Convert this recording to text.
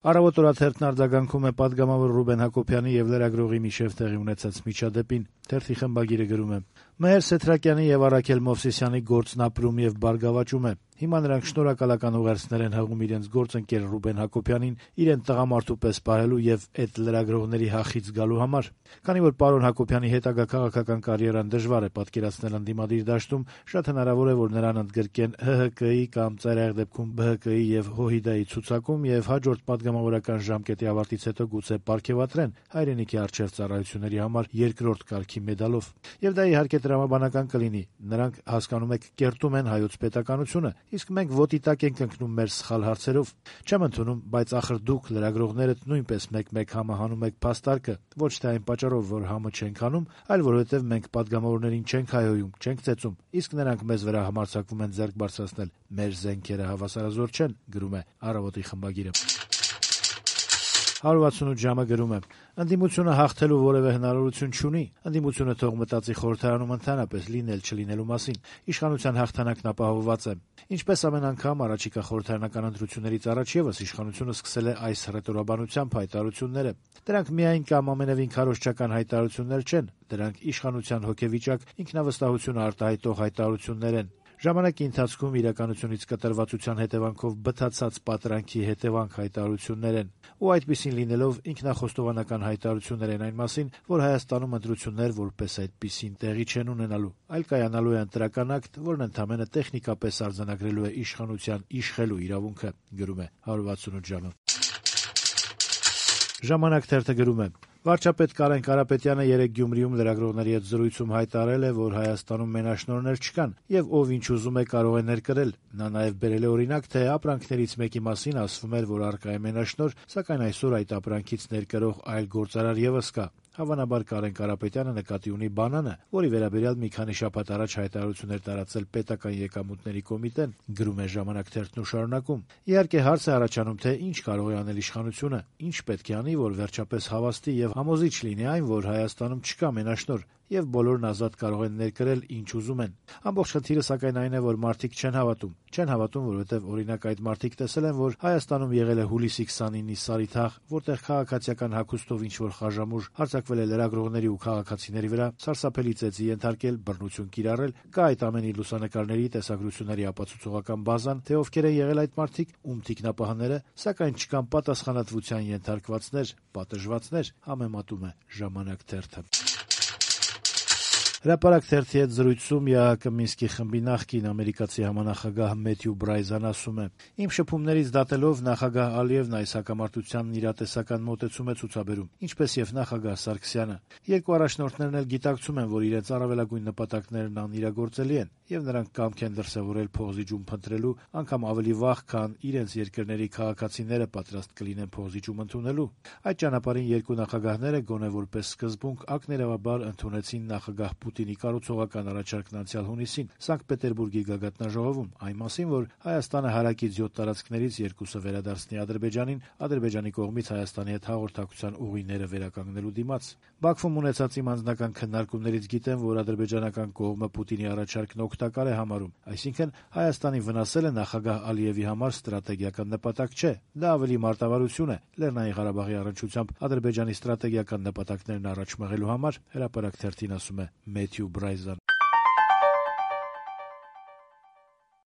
Առավոտ օրաթերթն արձագանքում է պատգամավոր Ռուբեն Հակոբյանի եւ լրագրողի միջեւ տեղի ունեցած միջադեպին։ Թերթի խմբագիրը գրում է. Մհեր Սեթրակյանի եւ Արաքել Մովսիսյանի գործն ապրում եւ բարգավաճում է։ Հիմա նրանք շնորհակալական ուղերձներ են հղում իրենց գործընկեր Ռուբեն Հակոբյանին իրեն տղամարդու պես պահելու եւ այդ լրագրողների հախից գալու համար։ Քանի որ պարոն Հակոբյանի հետագա քաղաքական կարիերան դժվար է պատկերացնել ընդդիմադիր դաշտում, շատ հնարավոր է, որ նրան ընդգրկեն ՀՀԿ-ի կամ ծայրահեղ դեպքում ԲՀԿ-ի եւ ՀՅԴ-ի ցուցակում եւ հաջորդ պատգամավորական ժամկետի ավարտից հետո գուցե պարգևատրեն հայրենիքի առջեւ ծառայությունների համար երկրորդ կարգի մեդալով։ Եվ դա իհարկե տրամաբանական կլինի։ Նրանք, հասկանում եք, կերտում են հայոց պետականությունը, իսկ մենք ոտի տակ ենք ընկնում մեր սխալ հարցերով։ Չեմ ընդունում, բայց ախր դուք լրագրողներդ նույնպես մեկ-մեկ համահանում եք փաստարկը, ոչ թե այն պատճառով, որ համը չենք հանում, այլ որովհետև մենք պատգամավորներին չենք հայհոյում, չենք ծեծում, իսկ նրանք մեզ վրա համարձակվում են ձեռք բարձրացնել։ Մեր զենքերը հավասարազոր չեն, գրում է Առավոտի խմբագիրը։ 168 ժամը գրում է. ընդդիմությունը հաղթելու որևէ հնարավորություն չունի, ընդդիմությունը թող մտածի խորհրդարանում ընդհանրապես լինել չլինելու մասին, իշխանության հաղթանակն ապահովված է։ Ինչպես ամեն անգամ առաջիկա խորհրդարանական ընտրություններից առաջ ևս իշխանությունը սկսել է այս հռետորաբանությամբ հայտարարությունները։ Դրանք միայն կամ ամենևին քարոզչական հայտարարություններ չեն, դրանք իշխանության հոգեվիճակ, ինքնավստահություն արտահայտող հայտարարություններ են։ Ժամանակի ընթացքում իրականությունից կտրվածության հետևանքով բթացած պատրանքի հետևանք հայտարարություններ են, ու այդպիսին լինելով ինքնախոստովանական հայտարարություններ են այն մասին, որ Հայաստանում ընտրություններ որպես այդպիսին տեղի չեն ունենալու, այլ կայանալու է ընտրական ակտ, որն ընդամենը տեխնիկապես արձանագրելու է իշխանության իշխելու իրավունքը, գրում է 168 ժամը։ Ժամանակ թերթը գրում է. վարչապետ Կարեն Կարապետյանը երեկ Գյումրիում լրագրողների հետ զրույցում հայտարարել է, որ Հայաստանում մենաշնորհներ չկան եւ ով ինչ ուզում է կարող է ներկրել։ Նա նաեւ բերել է օրինակ, թե ապրանքներից մեկի մասին ասվում էր, որ առկա է մենաշնորհ, սակայն այսօր այդ ապրանքից ներկրող այլ գործարար եւս կա։ Հավանաբար Կարեն Կարապետյանը նկատի ունի բանանը, որի վերաբերյալ մի քանի շաբաթ առաջ հայտարարություններ տարածել պետական եկամուտների կոմիտեն, գրում է Ժամանակ թերթն ու շարունակում։ Իհարկե հարց է առաջանում, թե ինչ կարող է անել իշխանությունը, ինչ պետք է անի, որ վերջապես հավաստի եւ համոզիչ լինի այն, որ Հայաստանում չկա մենաշնորհ, եւ բոլորն ազատ կարող են ներկրել ինչ ուզում են։ Ամբողջ խնդիրը սակայն այն է, որ մարդիկ չեն հավատում, որովհետեւ օրինակ այդ մարդիկ տեսել են, որ Հայաստանում եղել է հուլիսի 29-ի Սարի թաղ, որտեղ քաղաքացիական հագուստով ինչ-որ խաժամուժ հարձակվել է լրագրողների ու քաղաքացիների վրա, սարսափելի ծեծի ենթարկել, բռնություն կիրառել, կա այդ ամենի լուսանկարների, տեսագրությունների ապացուցողական բազան, թե ովքեր են եղել այդ մարդիկ, ում թիկնապահները, սակայն չկան պատասխանատվության ենթարկվածներ, պատժվածներ, համեմատում է Ժամանակ թերթը։ Հրապարակ թերթի հետ զրույցում ԵԱՀԿ Մինսկի խմբի նախկին ամերիկացի համանախագահ Մեթյու Բրայզան ասում է. «Իմ շփումներից դատելով նախագահ Ալիևն այս հակամարտությանն իրատեսական մոտեցում է ցուցաբերում, ինչպես եւ նախագահ Սարգսյանը։ Երկու առաջնորդներն էլ գիտակցում են, որ իրենց առավելագույն նպատակներն անիրագործելի են, եւ նրանք կամք են դրսեւորել փողզիջում փնտրելու, անգամ ավելի վաղ, քան իրենց երկրների քաղաքացիները պատրաստ կլինեն փողզիջում ընդունելու։ Այդ ճանապարհին երկու նախագահները գոնե որպես սկզբունք ակներավաբար ընդունեցին նախագահ Պուտինի կառուցողական առաջարկն անցյալ հունիսին Սանկտ Պետերբուրգի գագաթնաժողովում այն մասին, որ Հայաստանը հարակից 7 տարածքներից երկուսը վերադարձնի Ադրբեջանին, Ադրբեջանի կողմից Հայաստանի հետ հաղորդակցության ուղիները վերականգնելու դիմաց։ Բաքվում ունեցած իմ անձնական քննարկումներից գիտեմ, որ ադրբեջանական կողմը Պուտինի առաջարկն օգտակար է համարում, այսինքն Հայաստանի վնասելը նախագահ Ալիևի համար ստրատեգիական նպատակ չէ, դա ավելի մարտավարություն է Լեռնային Ղարաբաղի առնչությամբ Ադրբեջանի ստրատեգիական նպատակներն առաջ մղելու համար, հրապարակ թերթին ասում է Մեթյու Բրայզան։